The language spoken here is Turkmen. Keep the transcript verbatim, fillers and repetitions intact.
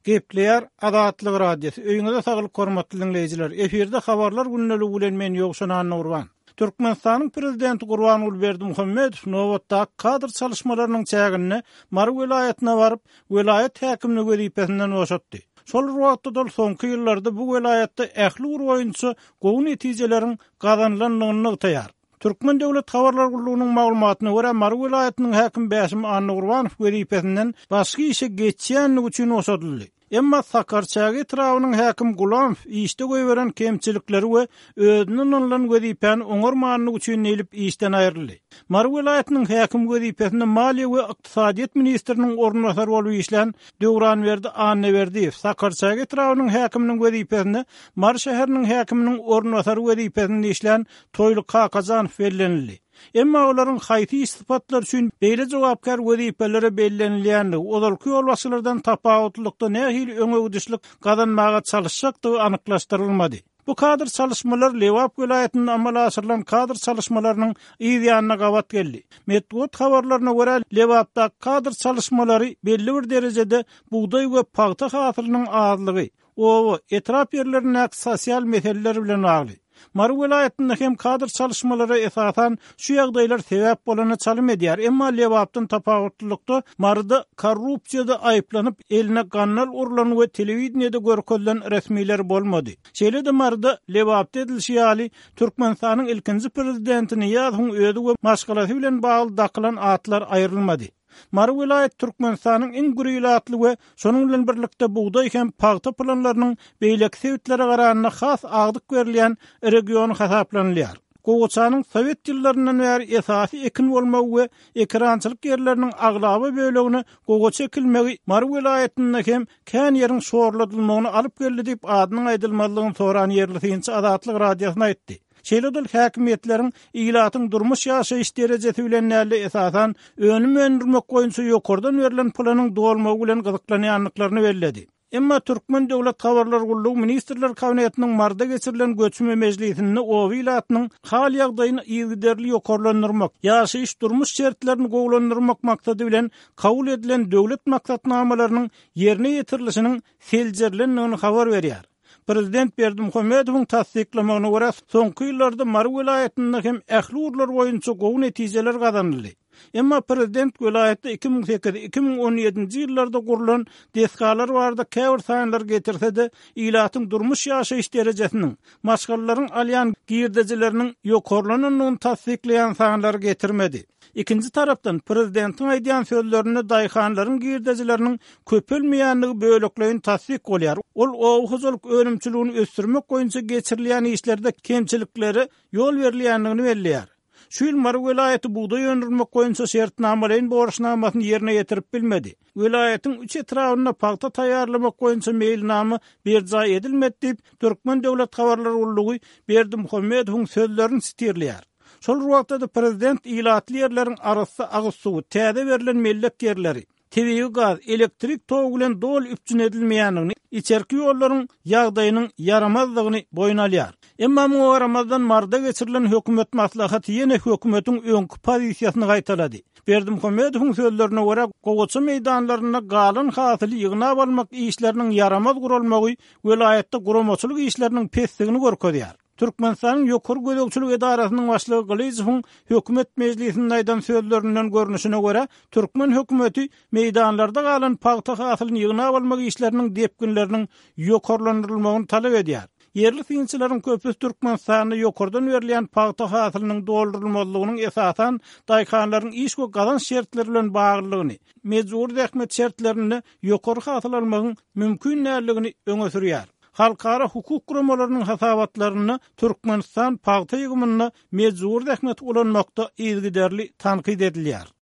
Gepleýär Azatlyk Radiosy. Öýüňize saglyk hormatly diňleýjiler. Efirde habarlar gündeligi bilen men Ýowşan Annagurban. Türkmenistanyň prezidenti Gurbanguly Berdimuhamedow nobatdaky kadr çalyşmalarynyň çäginde Mary welaýatyna baryp, welaýat häkimini wezipesinden boşatdy. Şol bir wagtda-da ol soňky ýyllarda bu welaýatda ähli ugur boýunça gowy netijeleriň gazanylandygyny nygtaýar. Türkmen döwlet habarlar gullugynyň maglumatyna görä, Mary welaýatynyň häkimi Bäşim Annagurbanow wezipesinden başga işe geçýändigi üçin boşadyldy. Emma Sakarçäge etrabynyň häkimi Gulamow işde goýberen kemçilikleri we özüne ynanylan wezipäni oňarmanlygy üçin diýlip işden aýryldy. Mary welaýatynyň häkimi wezipesinde maliýe we ykdysadyýet ministriniň orunbasary bolup işlän Döwranberdi Annaberdiýew Sakarçäge etrabynyň häkiminiň wezipesinde Mary şäheriniň häkiminiň orunbasary wezipesinde işlän Toýly Kakajanow bellenildi. Emma olaryň haýsy iş sypatlary üçin beýle jogapkär wezipelere bellenilýändigi, ozalky ýolbaşçylardan tapawutlylykda nähili öňegidişlik gazanmaga çalyşjakdygy anyklaşdyrylmady. Bu kadr çalyşmalar Lebap welaýatynda amala aşyrylan kadr çalyşmalarynyň yz ýanyna gabat geldi. Metbugat habarlaryna görä, Lebapdaky kadr çalyşmalary belli bir derejede bugdaý we pagta hasylynyň azlygy, oba, etrap ýerlerindäki sosial meseleler bilen bagly. Mary welaýatynda hem kadr çalyşmalara esasan şu ýagdaýlar sebäp bolana çalym edýär. Emma Lebapdan tapawutlylykda Maryda korrupsiýada aýyplanyp eline gandal urlan we telewideniýede görkezilen resmiler bolmady. Şeýle-de Maryda Lebapda edilişi ýaly Türkmenistanyň ilkinji prezidenti Nyýazowyň özi we maşgalasy bilen bagly dakylan atlar aýrylmady. Mary welaýaty Türkmenistanyň iň gür ilatly we şonuň bilen birlikde bugdaý hem pagta planlarynyň beýleki sebitlere garanda has agdyk berilýän regiony hasaplanylýar. Gowaçanyň sowet ýyllaryndan bäri esasy ekin bolmagy we ekerançylyk ýerleriniň aglaba bölegine gowaça ekilmegi Mary welaýatynda hem kän ýeriň şorladylmagyny alyp geldi diýip adynyň aýdylmazlygyny soran ýerli synçy Azatlyk Radiosyna aýtdy. Şeýle-de ol häkimiýetleriň ilatyň durmuş ýaşaýyş derejesi bilen däl-de esasan önüm öndürmek boýunça ýokardan berlen planyň dolmagy bilen gyzyklanýandyklaryny belledi. Emma Türkmen döwlet habarlar gullugy Ministrler Kabinetiniň Maryda geçirilen göçme mejlisinde oba ilatynyň hal ýagdaýyny yzygiderli ýokarlandyrmak, ýaşaýyş durmuş şertlerini gowulandyrmak maksady bilen kabul edilen döwlet maksatnamalarynyň ýerine ýetirilişiniň seljerilendigini habar berýär. Prezident Berdimuhamedowyň tassyklamagyna görä, soňky ýyllarda Mary welaýatynda hem ähli ugurlar boýunça gowy netijeler gazanyldy. Emma prezident welaýatda iki müň sekiz iki müň on ýedinji ýyllarda gurlan desgalar barada käbir sanlar getirse-de, ilatyň durmuş ýaşaýyş derejesiniň, maşgalalaryň alýan girdejileriniň ýokarlanandygyny tassyklaýan sanlary getirmedi. Ikinji tarapdan prezidentiň aýdýan sözlerinde daýhanlaryň girdejileriniň köpelmeýändigi bölekleýin tassyk bolýar. Ol oba hojalyk önümçiligini ösdürmek boýunça geçirilýän işlerde kemçiliklere ýol berilýändigini belleýär. Şu ýyl Mary welaýaty bugdaý öndürmek boýunça şertnamalaýyn borçnamasyny ýerine ýetirip bilmedi. Welaýatyň üç etrabynda pagta taýýarlamak boýunça meýilnama berjaý edilmedi diýip, Türkmen döwlet habarlar gullugy Berdimuhamedowyň sözlerini sitirleýär. Şol bir wagtda-da prezident ilatly ýerleriň arassa agyz suwy, täze berlen mellek ýerleri, tebigy gaz, elektrik togy bilen doly üpjün edilmeýändigini, içerki ýollaryň ýagdaýynyň ýaramazdygyny boýun alýar. Emma muňa garamazdan Maryda geçirilen hökümet maslahaty ýene hökümetiň öňki pozisiýasyny gaýtalady. Berdimuhamedowyň sözlerine görä, gowaça meýdanlarynda galan hasyly ýygnap almak işleriniň ýaramaz guralmagy welaýatda guramaçylyk işleriniň pesligini görkezýär. Türkmenistanyň Ýokary gözegçilik edarasynyň başlygy Gylyjowyň hökümet mejlisinde aýdan sözlerinden görnüşine görä, türkmen hökümeti meýdanlarda galan pagta hasylyny ýygnap almak işleriniň depginleriniň ýokarlandyrylmagyny talap edýär. Ýerli synçylaryň köpüsi Türkmenistanda ýokardan berilýän pagta hasylynyň doldurylmazlygynyň esasan daýhanlaryň iş we gazanç şertleri bilen baglylygyny, mejbury zähmet şertlerinde ýokary hasyl almagyň mümkin däldigini öňe sürýär. Halkara hukuk guramalarynyň hasabatlarynda Türkmenistan pagta ýygymynda mejbury zähmeti ulanmakda yzygiderli tankyt edilýär.